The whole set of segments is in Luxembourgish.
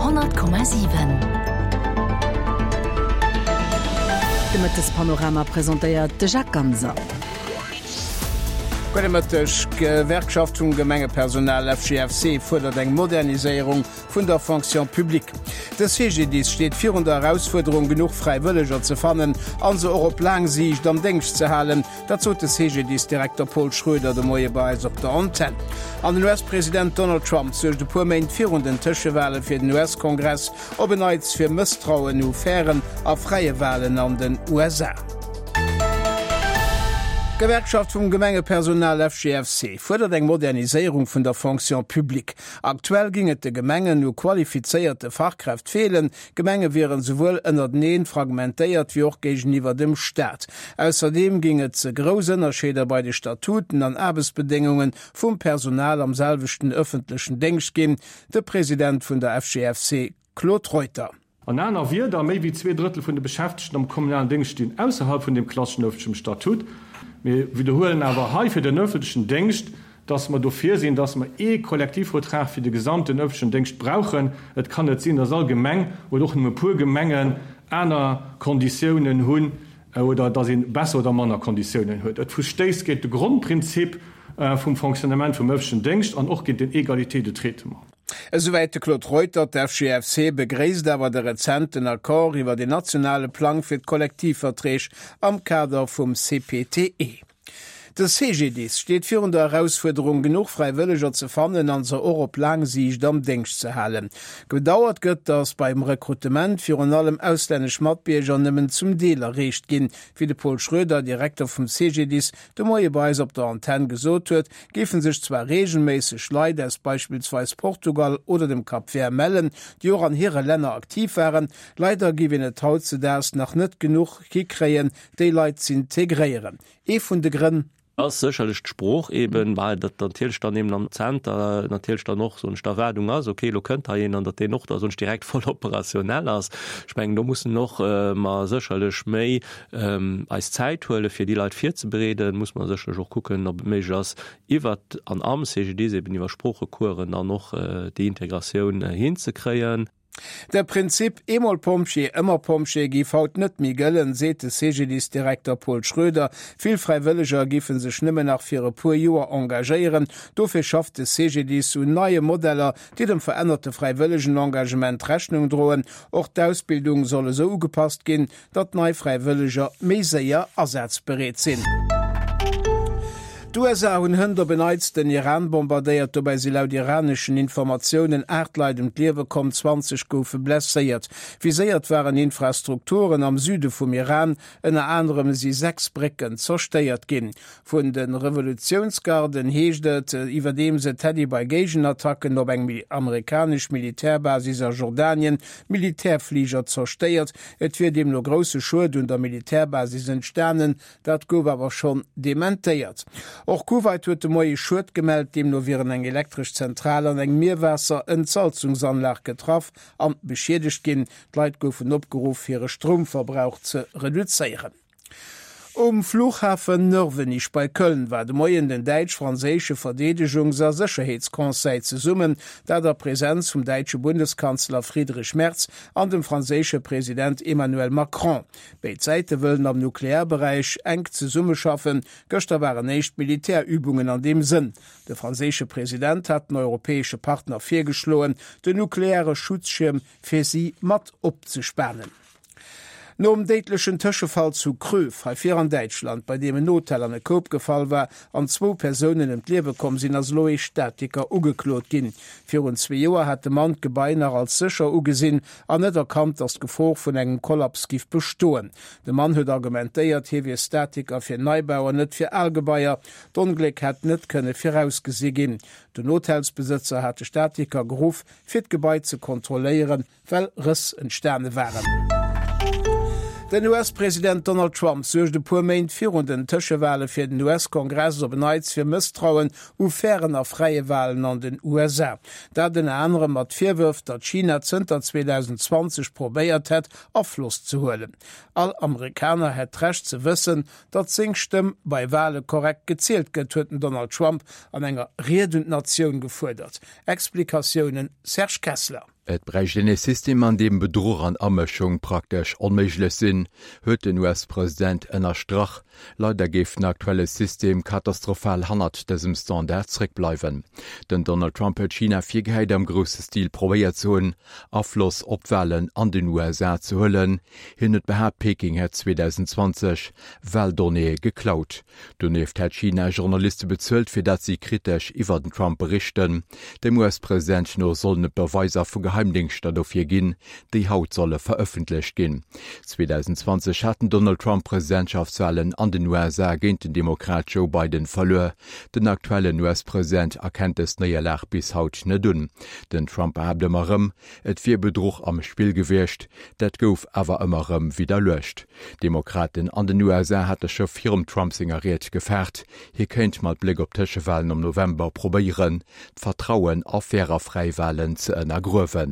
100,7. De Mëttespanorama presentéiert de Jacques Ganser. Gudde Mëtteg. D'Gewerkschaft vum Gemengepersonal FGFC fuerdert eng Moderniséierung vun der Fonction publique. De CGDIS steet virun der Erausfuerderung, genuch Fräiwëlleger ze fannen a se och op laang Siicht am Déngscht ze halen. Dat sot de CGDIS-Direkter Paul Schroeder de Moie bei eis op der Antenn. An den US-President Donald Trump suergt e puer Méint virun den Tëschewale fir den US-Kongress op en Neits fir Mësstrauen u fairen a fräie Walen an den USA. D'Gewerkschaft vum Gemengepersonal FGFC fuerdert eng Moderniséierung vun der Fonction publique. Aktuell géing et de Gemengen u qualifizéierte Fachkräft feelen, D'Gemenge wieren souwuel ënnerteneen fragmentéiert wéi och géigeniwwer dem Staat. Ausserdeem géing et ze grouss Ënnerscheeder bei de Statuten an Aarbechtsbedéngunge vum Personal am selwechten ëffentlechen Déngscht ginn. De President vun der FGFC Claude Reuter. An aner Wierder, méi wéi 2/3 vun de Beschäftegten am kommunalen Déngscht stinn ausserhalb vun deem klasseschen ëffentlechem Statut. Mir widderhuelen awer hei fir den ëffentlechen Déngscht, dass mer dofir sinn, dass mer ee Kollektivvertrag fir de gesamten öffentlechen Déngscht brauchen. Et kann net sinn, dass all Gemeng oder och nëmme e puer Gemengen aner Konditiounen hunn oder dass ee besser oder manner Konditiounen huet. Et verstéisst géint de Grondprinzip vum Fonctionnement vum öffentlechen Déngscht an och géint den Égalité de traitement. Esouwäit de Claude Reuter. D'FGFC begréisst awer de rezenten Accord iwwer een nationale Plang fir d'Kollektivverträg am Kader vum CPTE. De CGDIS steet virun der Erausfuerderung, genuch Fräiwëlleger ze fannen an se och op laang Siicht am Déngscht ze halen. Bedauert gëtt, datt beim Rekrutement virun allem auslännesch Matbierger nëmmen zum Deel erreecht ginn. Wéi de Paul Schroeder, Direkter vum CGDIS, de Moie bei eis op der Antenn gesot huet, géife sech zwar reegelméisseg Leit aus beispillsweis Portugal oder dem Cap Vert mellen, déi och an hire Länner aktiv waren. Leider géif een et hautzedaags nach net genuch hikréien, déi Leit z'integréieren. Ee vun de Grënn. Ass sécherlech d'Sprooch eben, well dat natierlech dann eben am Zenter natierlech dann och, soen ech, d'Erwaardung ass, okay, elo kënnt hei een, an datt deen och da, soen ech, direkt voll operationell ass. Ech mengen, do mussen och mer sécherlech méi eis Zäit huelen, fir déi Leit virzebereeden. Muss mer sécherlech och kucken, ob et méiglech ass, iwwert an am CGDIS eben iwwer Sproochecoursen dann och déi Integratioun hinzekréien. De Prinzip eemol Pompjee, ëmmer Pompjee géif haut net méi gëllen, seet de CGDIS-Direkter Paul Schroeder. Vill Fräiwëlleger géife sech nëmmen nach fir e puer Joer engagéieren. Dofir schafft de CGDIS un neie Modeller, déi dem verännerte Fräiwëllegenengagement Rechnung droen. Och d'Ausbildung soll esou ugepasst ginn, datt nei Fräiwëlleger méi séier asazbereet sinn. D'USA hunn hënt op en Neits den Iran bombardéiert. Dobäi si laut iraneschen Informatiounen 8 Leit ëm d'Liewe komm, 20 goufe blesséiert. Viséiert waren Infrastrukturen am Süde vum Iran, ënner anerem si 6 Brécken zerstéiert ginn. Vun de Revolutiounsgarden heescht et iwwerdeems, et hätt ee bei Géigenattacken op eng amerikanesch Militärbasis a Jordanien Militärfliger zerstéiert. Et wier deemno grousse Schued un der Militärbasis entstanen, dat gouf awer schonn dementéiert. Och Kuwait huet de Moie Schued gemellt, deemno wieren eng elektresch Zentral an eng Mierwaasser-Entsalzungsanlag getraff an beschiedegt ginn. D'Leit goufen opgeruff, hire Stroumverbrauch ze reduzéieren. Um Flughafen Nörvenich bei Köln war de Moien den däitsch-franséische Verdeedegungs a Sécherheetsconseil zesummen, dat a Presenz vum däitsche Bundeskanzler Friedrich Merz an dem franséische President Emmanuel Macron. Béid Säite wëllen am Nuklearberäich enk zesummeschaffen. Gëschter waren éischt Militärübungen an deem Sënn. De franséische President hat den europäesche Partner virgeschloen, den nukleare Schutzschierm fir si mat opzespanen. Nom déidlechen Tëschefall zu Kröv, hei vir an Däitschland, bei deem en Hotel an e Koup gefall war an zwou Persounen ëm d'Liewe komm sinn, ass elo ee Statiker ugeklot ginn. Virun zwee Joer hat de Mann d'Gebai nach als sécher ugesinn an net erkannt, datt d'Gefor vun engem Kollaps giff bestoen. De Mann huet argumentéiert, hie wier Statiker fir Neibau an net fir al Gebaier. D'Ongléck hätt net kënne virausgesi ginn. Den Hotelsbesëtzer hat de Statiker geruff, fir d'Gebai ze kontrolléieren, well Rëss entstane waren. Den US-President Donald Trump suergt e puer Méint virun den Tëschewale fir den US-Kongress op en Neits fir Mësstrauen u fairen a fräie Walen an den USA. Dat ënner anerem mat Virwërf, datt China zënter 2020 probéiert hätt, Afloss ze huelen. All Amerikaner hätt d'Recht ze wëssen, datt seng Stëmm bei Wale korrekt gezielt gëtt, huet den Donald Trump an enger Ried un d'Natioun gefuerdert. Explikatiounen Serge Kessler. Et bräicht een ee System, an deem Bedruch an Amëschung praktesch onméiglech sinn, huet den US-President ënnerstrach. Leider géif den aktuelle System katastrophal hannert dësem Standard zréckbleiwen. Den Donald Trump huet China virgehäit, am grousse Stil probéiert ze hunn, Afloss op d'Walen an den USA ze huelen. Hien huet behaapt, Peking hätt 2020 Waldonnéeë geklaut. Donieft hätt China Journaliste bezuelt, fir dat si kritesch iwwer den Trump berichten. Dem US-President no sollen et Beweiser vu Geheimdéngschter dofir ginn, déi haut solle verëffentlecht ginn. 2020 hat den Donald Trump d'Presidentschaftswalen an den USA géint den Demokrat Joe Biden verluer. Den aktuellen US-President erkennt dës Néierlag bis haut net un. Den Trump behaapt ëmmer erëm, et wier Bedruch am Spill gewiescht. Dat gouf awer ëmmer erëm widderluecht. D'Demokraten an den USA hate scho virum Trump senger Ried gefaart, hie kéint mat Bléck op d'Tëschewalen am November probéieren, d'Vertrauen a fair a fräi Walen ze ënnergruewen.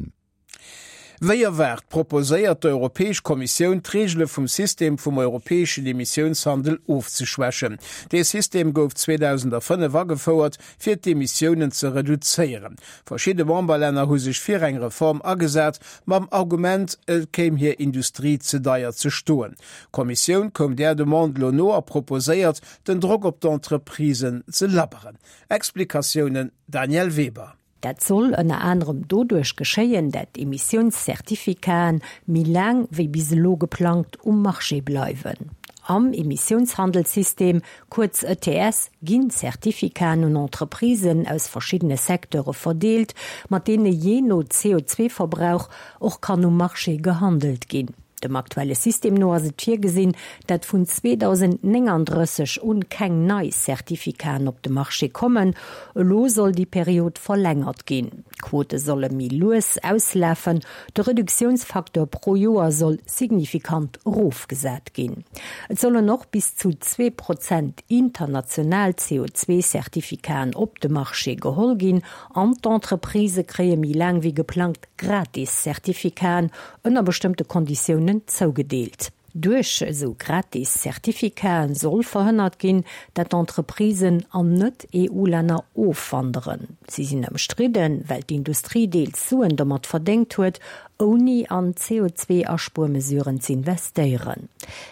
Wéi erwaart, proposéiert d'Europäesch Kommissioun, d'Reegele vum System vum europäeschen Emissiounshandel ofzeschwächen. Dee System gouf 2005 agefouert, fir d'Emissiounen ze reduzéieren. Verschidde Memberlänner hu sech fir eng Reform agesat, mam Argument, et kéim hir Industrie ze deier ze stoen. D'Kommissioun koum där Demande elo no a proposéiert, den Drock op d'Entreprisen ze labberen. Explikatiounen Danièle Weber. Dat soll ënner anerem doduerch geschéien, dat Emissiounscertificaten méi laang wéi bis elo geplangt um Marché bleiwen. Am Emissiounshandelssystem, kuerz ETS, ginn Certificaten un Entreprisen aus verschiddene Secteure verdeelt, mat deene jee no CO2-Verbrauch och kann um Marché gehandelt ginn. Dem aktuelle System no ass et virgesinn, dat vun 2039 un keng nei Certificaten op de Marché kommen. Elo soll déi Period verlängert ginn. D'Quote solle méi lues auslafen, de Reduktiounsfacteur pro Joer soll signifikant erofgesat ginn. Et sollen och bis zu 2 Prozent international CO2-Certificaten op de Marché geholl ginn an d'Entreprisë kréie méi laang wéi geplangt gratis Certificaten ënner bestëmmte Konditiounen zougedeelt. Duerch esou gratis Certificaten soll verhënnert ginn, dat Entreprisen an Net-EU-Länner ofwanderen. Si sinn ëmstridden, well d'Industrie deels Suen domat verdéngt huet, ouni an CO2-Aspuermesuren z'investéieren.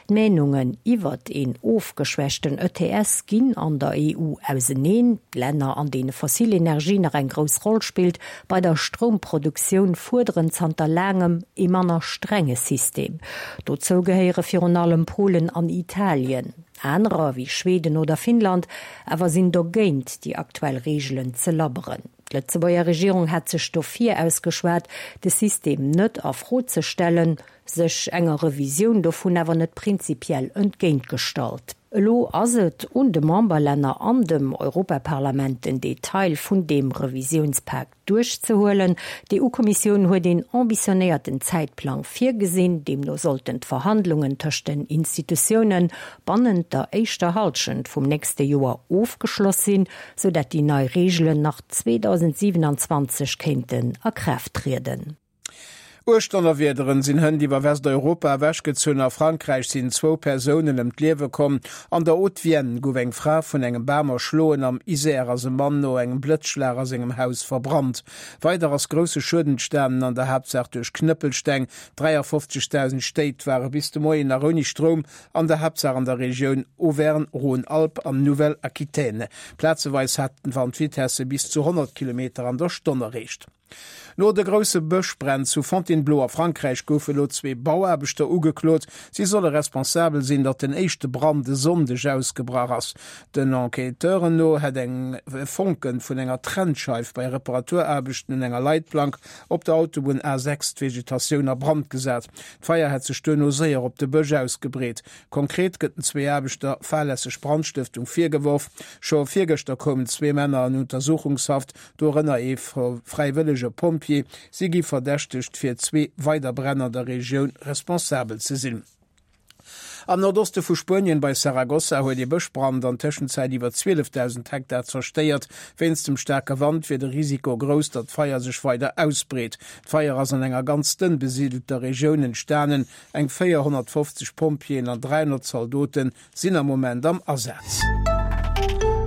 D'Meenungen iwwert een ofgeschwächten ETS ginn an der EU auseneen. D'Länner, an deene fossil Energie nach eng grouss Roll spillt bei der Stroumproduktioun, fuerderen zanter laangem ee manner strenge System. Dozou gehéiere virun allem Polen an Italien. Anerer, wéi Schweden oder Finnland, awer sinn dogéint, déi aktuell Reegelen ze labberen. D'Lëtzebuerger Regierung hat sech dofir ausgeschwat, de System net a Fro ze stellen, sech enger Revisioun dovun awer net prinzipiell entgéintgestallt. Elo ass et un de Memberlänner an dem Europaparlament den Detail vun deem Revisiounspak duerchzehuelen. D'EU-Kommissioun huet een ambitionéierten Zäitplang virgesinn. Deemno sollten d'Verhandlungen tëscht den Institutioune bannent der éischter Hallschent vum nächste Joer ofgeschloss sinn, sou dat déi nei Reegelen nach 2027 kéinten a Kraaft trieden. Uerg Donnerwiederen sinn hënt iwwer Westeuropa ewechgezunn. A Frankräich sinn zwou Persounen ëm d'Liewe komm. An der Haute-Vienne gouf eng Fra vun engem Bam erschloen. Am Isère ass e Mann no engem Blëtzschlag a sengem Haus verbrannt. Weider ass grousse Schued entstanen, an der Haaptsaach duerch Knëppelsteng. 53.000 Stéit ware bis de Moien nach ouni Stroum, an der Haaptsaach an der Regioun Auvergne-Rhône-Alpes an Nouvelle-Aquitaine. Plazeweis haten d'Wandvitesse bis zu 100 Kilometer an der Stonn erreecht. No de grousse Bëschbränn zu Fontainebleau a Frankräich goufe lo zwee Bauaarbechter ugeklot. Si solle responsabel sinn, datt den éischte Brand e Sonndeg ausgebrach ass. Den Enquêteuren no hätt eng e Fonke vun enger Trennscheif bei Reparaturaarbechten un enger Leitplank op der Autobunn A6 d'Vegetatioun a Brand gesat. D'Feier hätt sech duerno séier op de Bësch ausgebreet. Konkret gëtt den zwee Aarbechter fahrlässeg Brandstëftung virgeworf. Scho virgëschter koumen zwee Männer an Untersuchungshaft. Dorënner ee fräiwëllege Pompjee. Si gi verdächtegt, fir zwee weider Bränn an der Regioun responsabel ze sinn. Am Nordoste vu Spuenien, bei Saragossa, huet ee Bëschbrand an Tëschenzäit iwwer 12.000 Hektar zerstéiert. Wéinst dem staarke Wand wier de Risiko grouss, datt d'Feier sech weider ausbreet. D'Feier ass an enger ganz dënn besidelter Regioun entstanen. Eng 450 Pompjeeën an 300 Zaldote sinn am Moment am Asaz.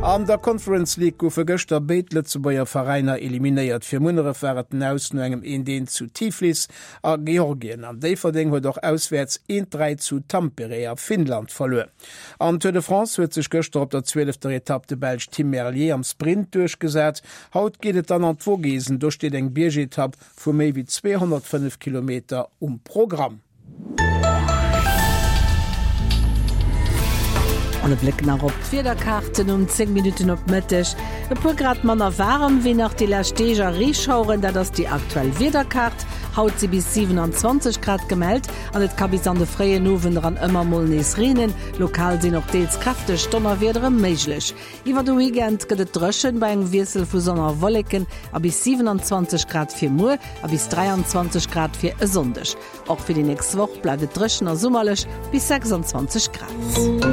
An der Conference League goufe gëschter béid Lëtzebuerger Veräiner eliminéiert. Fir Munneref war et den Aus no engem 1, 1 zu Tiflis a Georgien an Déifferdeng huet och auswäerts 1, 3 zu Tampere a Finnland verluer. Am Tour de France huet sech gëschter op der zwielefter Etapp de Belsch Tim Merlier am Sprint duerchgesat. Haut geet et dann an d'Vogesen, do steet eng Biergetapp vu méi wéi 205 Kilometer um Programm. An e Bléck nach op d'Wiederkaarten um 10 Minutten op Mëtteg. E puer Grad manner waarem wéi nach déi lescht Deeg a Reeschaueren, dat ass déi aktuell Wiederkaart. Haut si bis 27 Grad gemellt an et ka bis an de fréien Owend eran ëmmer mol nees reenen. Lokal sinn och deels kräfteg Donnerwiedere méiglech. Iwwer de Weekend gëtt et dréchen bei engem Wiessel vu Sonn a Wolleken a bis 27 Grad fir muer a bis 23 Grad fir e Sonndeg. Och fir déi nächst Woch bleift et dréchen a summerlech, bis 26 Grad.